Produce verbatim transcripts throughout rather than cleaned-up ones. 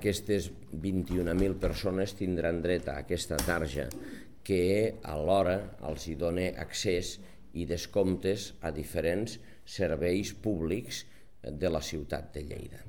aquestes vint-i-un mil persones tindran dret a aquesta tarja que alhora els hi dona accés i descomptes a diferents serveis públics de la ciutat de Lleida.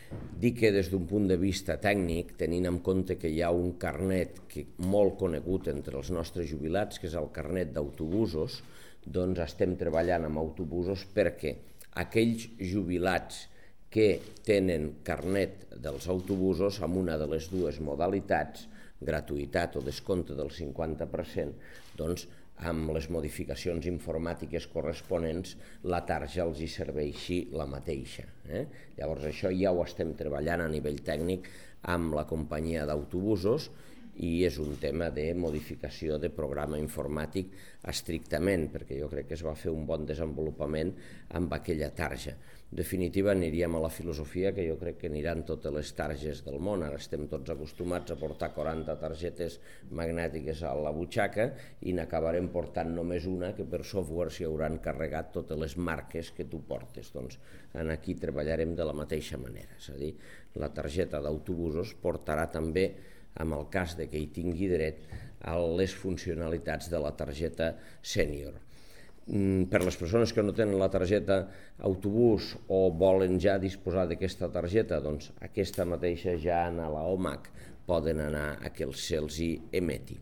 Dic que des d'un punt de vista tècnic, tenint en compte que hi ha un carnet que, molt conegut entre els nostres jubilats, que és el carnet d'autobusos, doncs estem treballant amb autobusos perquè aquells jubilats que tenen carnet dels autobusos amb una de les dues modalitats, gratuïtat o descompte del cinquanta per cent, doncs amb les modificacions informàtiques corresponents, la tarja els hi serveixi la mateixa. Eh? Llavors això ja ho estem treballant a nivell tècnic amb la companyia d'autobusos i és un tema de modificació de programa informàtic estrictament, perquè jo crec que es va fer un bon desenvolupament amb aquella tarja. En definitiva, aniríem a la filosofia que jo crec que aniran totes les targes del món. Ara estem tots acostumats a portar quaranta targetes magnètiques a la butxaca i n'acabarem portant només una que per software s'hi hauran carregat totes les marques que tu portes. Doncs aquí treballarem de la mateixa manera, és a dir, la targeta d'autobusos portarà també, en el cas de que hi tingui dret, a les funcionalitats de la targeta sènior. Per les persones que no tenen la targeta autobús o volen ja disposar d'aquesta targeta, doncs aquesta mateixa ja a la O M A C poden anar a que se'ls hi emeti.